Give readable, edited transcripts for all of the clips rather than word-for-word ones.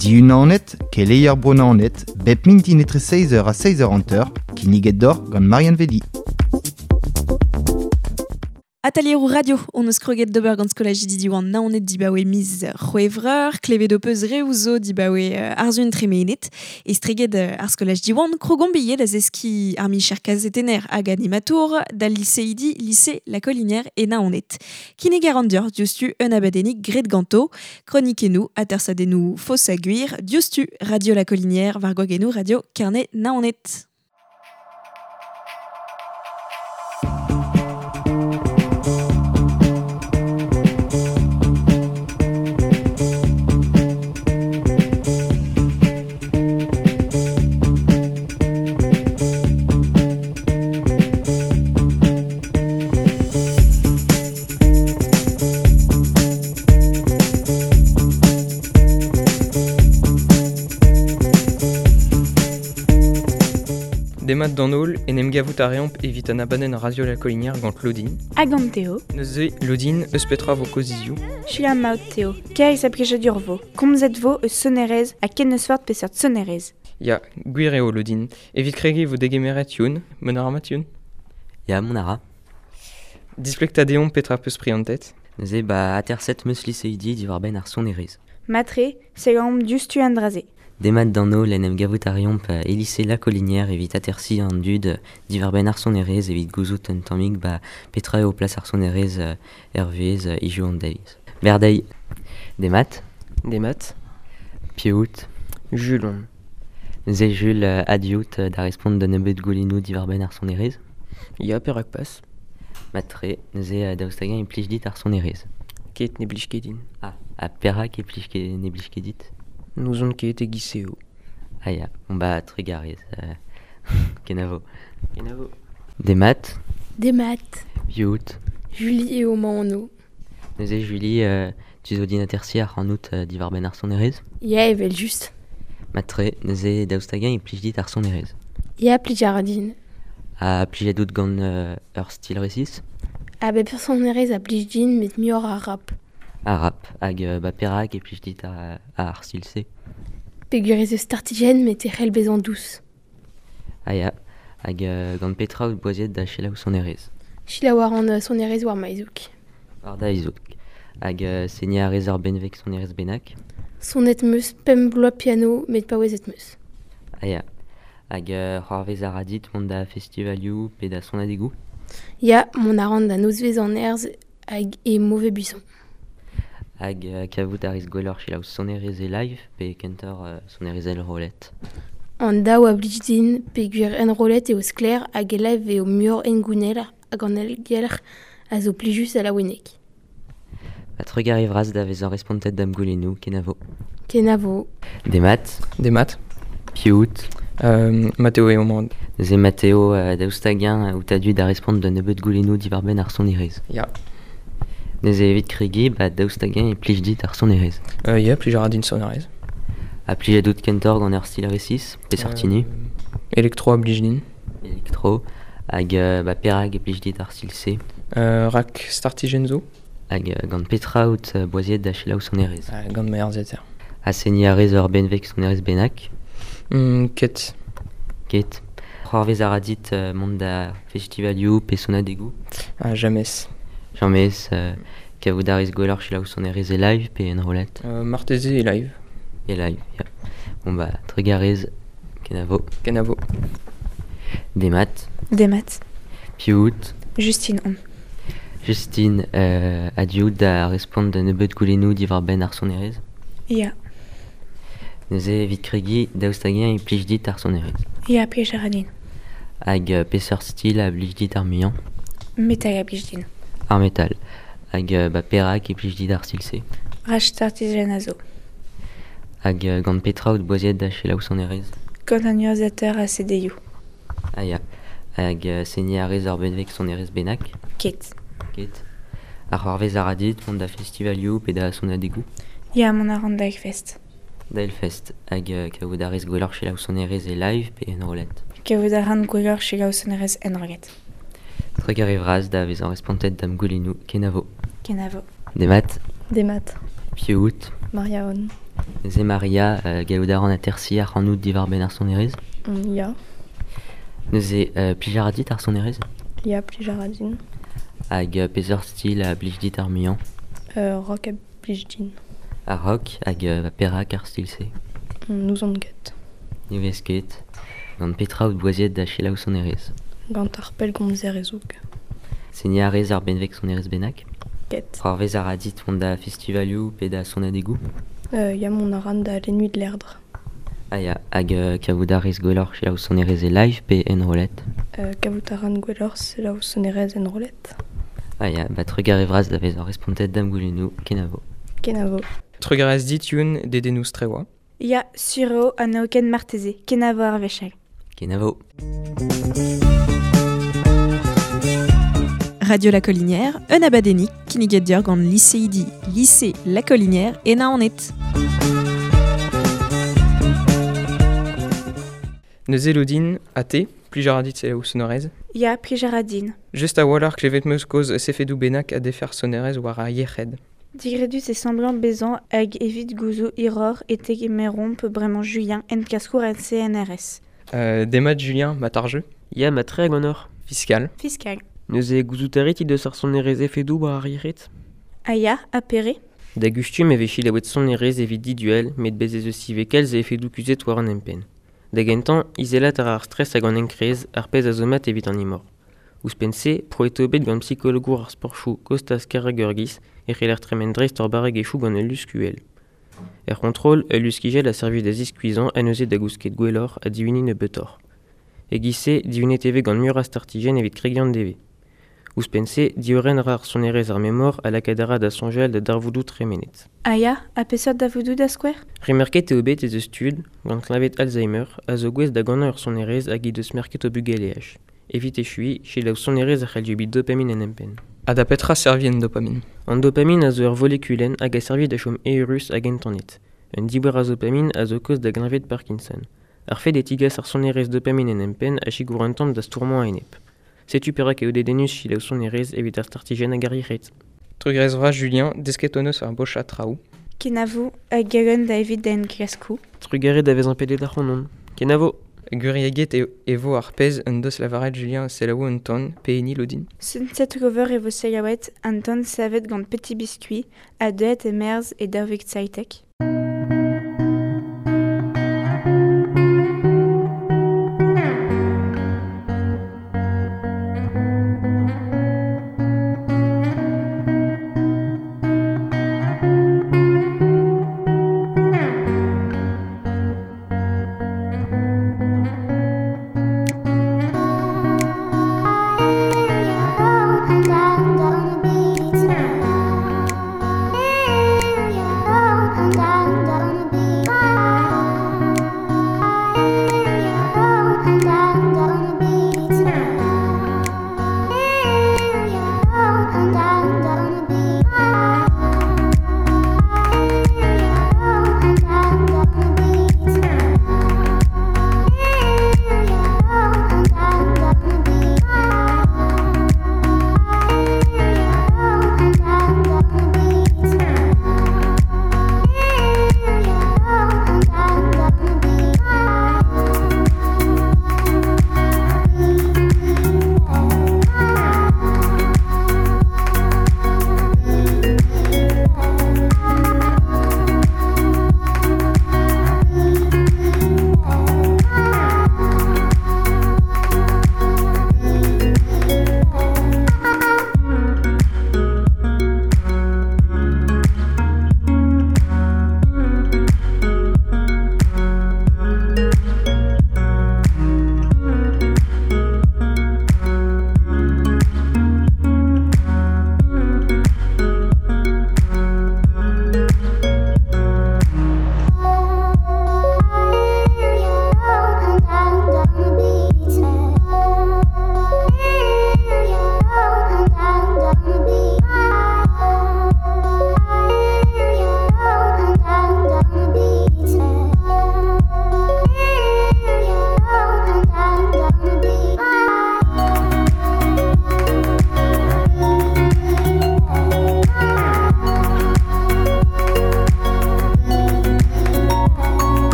Diunanet, keleier Bro-Naoned, bep mintin etre 6h ha 6h50, kinniget deoc'h gant Marianne Vedi. Atelieroù radio hon eus kroget d'ober gant skolajidi Diwan Naoned dibaoe miz C'hwevrer, klevet ho peus reoù zo dibaoe arzun tremenet, estreget ar skolaj Diwan krogomp ivez da zeskiñ ar micher kazetenner hag animatour d'al liseidi lise La Collinière e Naoned. Kinnig a ran deoc'h diouzhtu un abadennig graet ganto, kronikennoù, atersadennoù faos ha gwir, diouzhtu Radio La Collinière war gwagennoù Radio Kerne Naoned. Demat d'an holl en em gavout a reomp evit an abadenn Radio La Collinière gant Claudine. Hag an Théo. Neuze, Claudine, eus petra vo kozizioù? Selaou maout Théo. Kaez a blijadur vo. Komzet vo eus sonerezh ha ken eus forzh peseurt sonerezh. Ya, gwir eo Claudine. Evit kregiñ vo degemeret Youn. Mont a ra mat Youn? Ya, mont a ra. Displeg 'ta deomp petra peus prientet. Neuze, ba, aterset 'm eus liseidi diwar-benn ar sonerezh. Matre, selaomp diouzhtu an dra-se. Demat d'an holl en em gavout a reomp e lise La Collinière evit atersiñ an dud diwar-benn ar sonerezh evit gouzout un tammig ba petra eo plas ar sonerezh er vuhez hiziv an deiz. Berdeiz. Demat. Demat. Piv out? Jules on. Neuze Jules a-diout da respont d'un nebeud goulennoù diwar-benn ar sonerezh. Ya, perak pas. Mat-tre, neuze daoust hag-eñ e plij dit ar sonerezh? Ket ne blij ket din. Ah, ha perak e plij ket ne blij ket dit? N'ouzon ket e-giz eo. Ah ya, bon bah trugarez. Kenavo. Kenavo. Demat. Demat. Piv out? Julie eo ma anv. Neuze Julie, tu zo din atersiñ ac'hanout diwar-benn ar sonerezh? Ya, evel-just. Mat-tre, neuze daoust hag-eñ e plij dit ar sonerezh? Ya, plij a ra din. Ha plijet out gant ur stil resis? A bep sonerezh a blij din met muioc'h ar rap. Ar rap, hag ba perak e plij dit ar stil-se? Peogwir ez eus startijenn met e c'hell bezañ dous. Ah ya, hag gant petra out boaziet da selaou sonerezh? Selaou a ran sonerezh war ma zoug. War da zoug. Hag seniñ a rez ur benveg sonerezh bennak? Sonet 'm eus pemp bloaz piano met paouezet 'm eus. Ah ya, hag c'hoarvez a ra dit mont da festivalioù pe da sonadegoù? Ya, mont a ran da nozvezh an Erzh hag e Mauvais Buisson. Hag kavout a rez gwelloc'h selaou sonerezh e live pe kentoc'h sonerezh enrollet? An daou a blij din peogwir enrollet eo sklaer hag e live eo muioc'h hengounel hag an aergelc'h a zo plijus ha laouenek. Ha trugarez vras da vezañ respontet da'm goulennoù, kenavo. Kenavo. Demat. Demat. Piv out? Mathéo eo mañ. Neuze Mathéo, daoust hag-eñ out a-du da respont d'un nebeud goulennoù diwar-benn ar sonerezh? Ya. Neuze evit kregiñ, ba daoust hag-eñ e plij dit ar sonerezh? Ya, plij a ra din sonerezh. Ha plijet out kentoc'h gant ur stil resis peseurt hini? Elektro a blij din. Elektro. Hag ba perak e plij dit ar stil-se? Rak startijenn zo. Hag gant petra out boaziet da selaou sonerezh? Gant ma urzhiataer. Ha seniñ a rez ur benveg sonerezh bennak? Ket. Ket. C'hoarvez a ra dit mont da festivalioù pe sonadegoù? Ah, james. James, kavout a rez gwelloc'h selaou sonerezh e live pe enrollet? Marteze e live. E live, ya. Bon bah, trugarez, kenavo. Kenavo. Demat. Demat. Piv out? Justine on. Justine, a-du out da respont d'un nebeud goulennoù diwar-benn ar sonerezh? Ya. Neuze evit kregiñ, daoust hag-eñ e plij dit ar sonerezh? Ya, plij a ra din. Hag peseurt stil a blij dit ar muiañ? Metal a blij din. Ar metal. Hag ba perak e plij dit ar stil-se? Rak startijenn a zo. Hag gant petra out boaziet da selaou sonerezh? Gant an urzhiataer ha CD-ioù. Ah ya. Hag seniñ a rez ur benveg sonerezh bennak? Ket. Ket. Ha c'hoarvez a ra dit mont da festivalioù pe da sonadegoù? Ya, mont a ran da Hellfest. Da Hellfest. Hag kavout a rez gwelloc'h selaou sonerezh e live pe enrollet? Kavout a ran gwelloc'h selaou sonerezh enrollet. Trugarez vras da vezañ respontet da'm goulennoù. Kenavo. Kenavo. Demat. Demat. Piv out? Maria on. Neuze Maria, gallout a ran atersi ar c'hanout diwar ben ar sonerezh. Ya. Neuze plij a ra dit ar sonerezh? Ya, plij a ra din. Hag peseurt stil a blij dit ar muiañ? Rock a blij din. Ar rock hag perak ar stil-se? N'ouzon ket. Ne vez ket. Gant petra out boaziet da selaou sonerezh? Gant ar pellgomzer e-zoug. Seniñ a rez ar benveg sonerezh bennak? Ket. C'hoarvez a ra dit mont da festivalioù pe da sonadegoù? Ya, mont a ran da Les Nuits de l'Erdre. Ah ya, hag kavout a rez gwelloc'h selaou sonerezh e live pe enrollet? Kavout a ran gwelloc'h selaou sonerezh enrollet. Ah ya, ba trugarez vras da vezañ respontet da'm goulennoù, kenavo. Kenavo. Trugarez dit Youn dedennoù strewa. Ya, sur eo ha n'eo ken marteze, kenavo ar wech all. Kenavo. Radio La Collinière, un abadennig kinniget deoc'h gant liseidi lycée La Collinière e Naoned. Neuze Lodin, a te, plij a ra dit selaou sonerezh? Ya, plij a ra din. Just a-walc'h klevet 'm eus kaoz sefedoù bennak a defer sonerezh war ar yec'hed. Digredus e semblant bezañ hag evit gouzout hiroc'h e tegemeromp bremañ Julien enklaskour en CNRS. Demat Julien, mat ar jeu? Ya, mat tre ganeoc'h. Fiskal. Fiskal. Neuze gouzout a rit he deus ar sonerezh efedoù war ar yec'hed? Ah ya, ha pere? Da gustum e vez selaouet sonerezh evit diduel, met bez ez eus ivez kalz a efedoù kuzhet war an empenn. Da gentañ, izelat a ra ar stres hag an enkrez, ar pezh a zo mat evit an imor. Ouzhpenn-se, prouet eo bet gant psikologour ar sportoù Kostas Karageorgis e c'heller tremen dreist ur barregezhioù gant ul lusk uhel. Er c'hontrol, ul luskigell a servij da ziskuizhañ ha neuze da gousket gwelloc'h ha dihuniñ nebeutoc'h. E-giz-se, dihunet e vez gant muioc'h a startijenn evit kregiñ an devezh. Ouzhpenn-se, diorren a ra ar sonerezh ar memor ha lakaat a ra da soñjal da darvoudoù tremenet. Ah ya, ha peseurt darvoudoù da skouer? Remerket eo bet ez eus tud, gant kleñved Alzheimer, a zo gouest da ganañ ur sonerezh hag he deus merket o bugaleaj. Evit echuiñ, selaou sonerezh a c'hell dieubit dopamin en empenn. Ha da petra servij an dopamin? An dopamin a zo ur volekulenn hag a servij da chom eürus hag entanet. Un diouer a zopamin a zo kaoz da gleñved Parkinson. Ar fed e tigas ar sonerezh dopamin en empenn a sikour un tamm da stourmañ a-enep. Setu perak eo dedennus selaou sonerezh evit ar startijenn hag ar yec'hed. Trugarez vras Julien, desket hon eus ar bochad traoù. Kenavo hag galon da evit da enklaskoù. Trugarez da vezañ pedet ac'hanon. Kenavo! Gwirieget e vo ar pezh en deus lavaret Julien selaou un ton, pe hini Lodin. Sunset Rover e vo selaouet an ton savet gant Petit Biscuit ha deuet e-merzh e 2017. And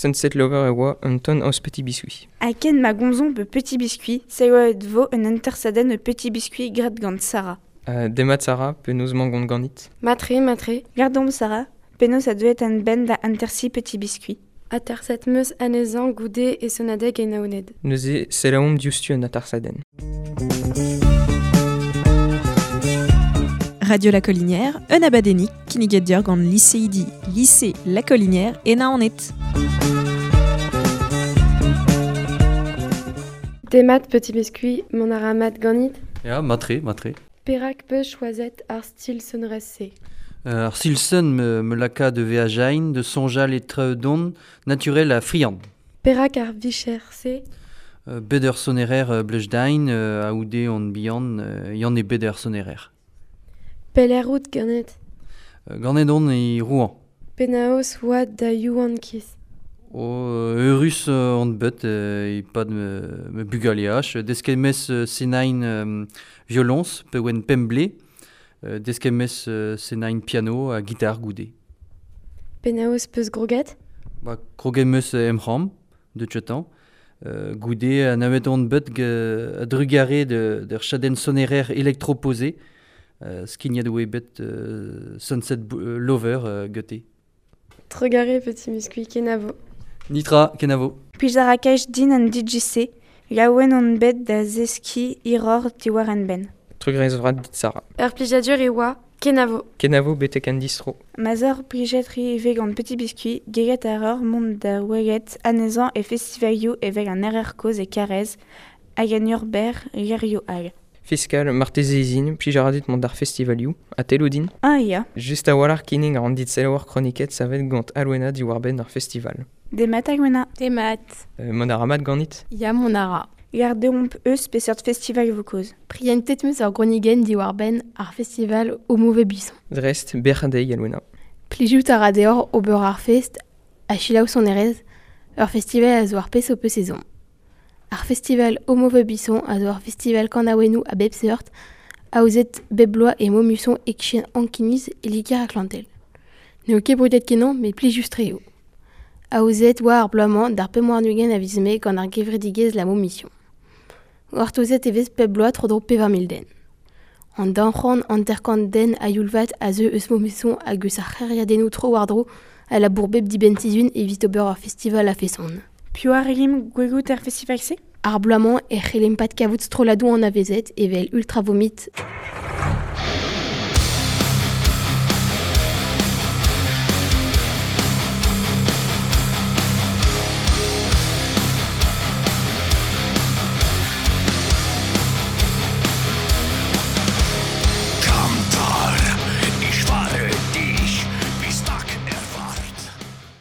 Sunset Lover e oa un ton eus Petit Biscuit. Ha ken ma gomzomp pe Petit Biscuit, se oa et vo un intersaden Petit Biscuit graet gant Sarah. Demat Sarah, penaos mañ gant ganit. Matre, matre. Gardomp Sarah, penaos a deuet an ben da intersi Petit Biscuit. Aterset meus anezhañ goude e sonadeg e Naoned. Neuze selaomp diouzhtu an atersadenn. Radio La Collinière, un abadennig kinniget deoc'h gant liseidi lycée La Collinière e Naoned. Demat Petit Biscuit, mont a ra mat ganit? Ya, matre, matre. Perak peus choazet ar stil sonerezh-se? Ar stil son me laka de veajain, de soñjal e traoù naturel ha friant. Perak ar vicher-se? Bet ur sonerer blejdain, a-oude on bihan, yann e bet ur sonerer. Pelec'h out ganet? Ganet on e Rouen. Penaos oa da yaouankiz? O eurus on bet e-pad me bugaleaj. Desket 'meus senain violoñs pe oan pemp blez. Desket 'meus senain piano ha gitar goude. Penaos peus groget? Ba, kroget 'meus em c'hambr, deut Goude anavet on bet a-drugarez d'ur chadenn sonerer électroposé, skignet oa bet Sunset Lover gete. Trugarez Petit Biscuit, kenavo. Nitra, kenavo. Plij a ra kaj din an DJC, laouen on bet da zeskiñ hiroc'h diwar an benn. Trugarez vras dit Sarah. Ur plijadur e oa, kenavo. Kenavo betek an distro. Ma zor plijet ri ivez gant Petit Biscuit, gellet a reur mont da welet anezhañ e festivalioù evel an RR kozh e Karez hag an Urber gerioù all. Fiskal, marteze izin, plij a ra dit mont d'ar festivalioù, ha tello din? Ah ya. Just a-walc'h kinnig a ran dit selaouer kroniket savet gant Alwena diwar-benn ar festival. Demat Alwena. Demat. Mont a ra mat ganit? Ya, mont a ra. Gardeomp eus peseurt festival vo kaoz. Prientet 'meus ur gronigenn diwar-benn ar festival Au Mauvais Buisson. Dreist, bec'h dezhi Alwena. Plijout a ra deoc'h ober ar fest ha selaou sonerezh, ur festival a zo ar pezh ho peus ezhomm. Ar festival Au Mauvais Buisson a zo ur festival kanaouennoù a bep seurt, aozet bep bloaz e Maumusson e-kichen Ankiniz e Liger-Atlantel. N'eo ket brudet kenañ met plijus-tre eo. Aozet oa ar bloaz-mañ d'ar 25 a viz Mae gant ar gevredigezh La Mission. Gortozet e vez pep bloaz tro-dro 4000 den. An daou-c'hant hanter-kant den a-youl-vat a zeu eus Maumusson hag eus ar c'hêriadennoù tro-war-dro a labour bep dibenn-sizhun evit ober ur festival a-feson. Piv a relimp gwelout er festival-se? Ar bloaz-mañ e c'hellimp pat kavout strolladoù anavezet evel Ultra Vomit,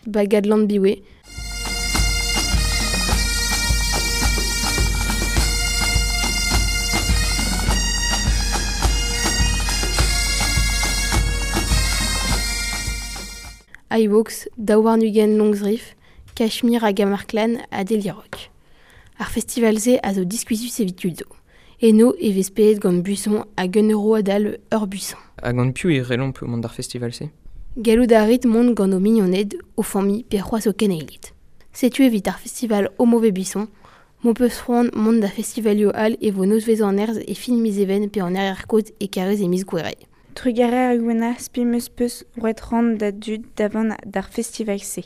Bagad Lanbiwe, iVox, daou warn-ugent Longsriff, Kashmir hag Amarklan ha Delirock. Ar festival-se a zo diskuizhus evit tud zo. Eno e vez pedet gant buisson hag un euro adal ur buisson. Ha gant piv e relomp mont d'ar festival-se? Gallout a rit mont gant ho mignoned, ho familh pe c'hoazh ho keneiled. Setu evit ar festival Au Mauvais Buisson, m'ho peus c'hoant mont da festivalioù all e vo nozvezh an nerzh e fin miz Even pe an RR kozh e Karez e miz Gouere. Trugarez Alwena, spi 'meus peus roet ran da dud da vont d'ar festival-se.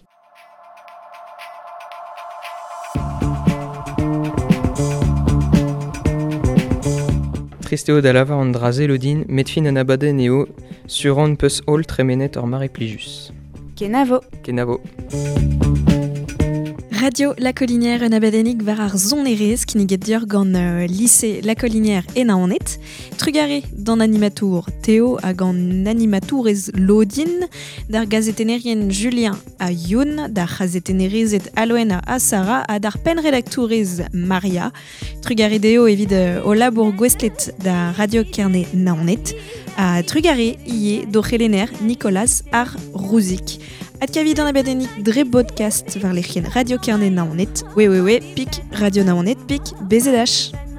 Trist eo da lavar an dra-se Lodin, met fin an abadenn eo sur on peus holl tremenet ur mare plijus. Kenavo. Kenavo. Radio La Collinière un abadennig war ar sonerezh kinniget deoc'h gant lycée La Collinière e Naoned. Trugarez d'an animatour Théo hag an animatourez Lodin, d'ar gazetennerien Julien ha Youn, d'ar c'hazetennerezed Alwena ha Sarah ha d'ar pennredaktourez Maria. Trugarez dezho evit o labour gouestlet da Radio Kerne Naoned. Ha trugarez ivez d'o c'helenner Nicolas ar Rouzik. Adkavit an abadennig dre bodcast war lec'hienn Radio Kerne Naoned, www.pik Radio Naoned pik BZH.